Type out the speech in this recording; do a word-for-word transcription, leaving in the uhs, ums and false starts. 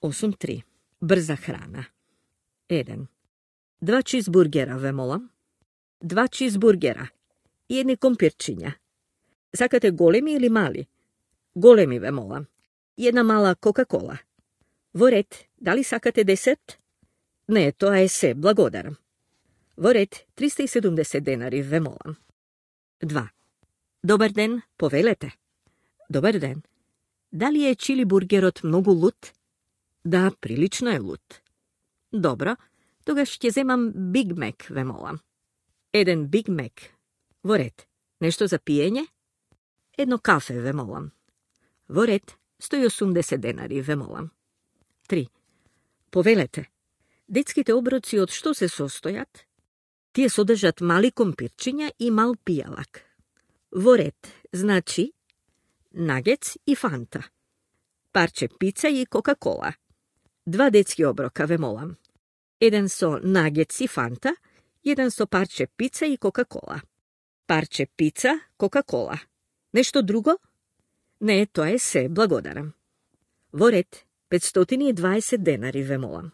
осум три. Брза храна. еден. Два чизбургера, ве молам. Два чизбургера. И едни компирчиња. Сакате големи или мали? Големи, ве молам. И една мала Кока-кола. Во ред, дали сакате десерт? Не, тоа е се, благодарам. Во ред, триста и седумдесет денари, ве молам. два. Добар ден, повелете. Добар ден. Дали е чили бургерот многу лут? Да, прилично е лут. Добро, тогаш ќе земам Биг Мек, ве молам. Еден Биг Мек. Во ред, нешто за пиење? Едно кафе, ве молам. Во ред, сто и осумдесет денари, ве молам. три. Повелете. Детските оброци од што се состојат? Тие содржат мали компирчиња и мал пијалак. Во ред, значи, нагец и фанта. Парче пица и Кока-кола. Два детски оброка, ве молам. Еден со нагец и фанта, еден со парче пица и Кока-кола. Парче пица, Кока-кола. Нешто друго? Не, тоа е се, благодарам. Во ред, петстотини и дваесет денари, ве молам.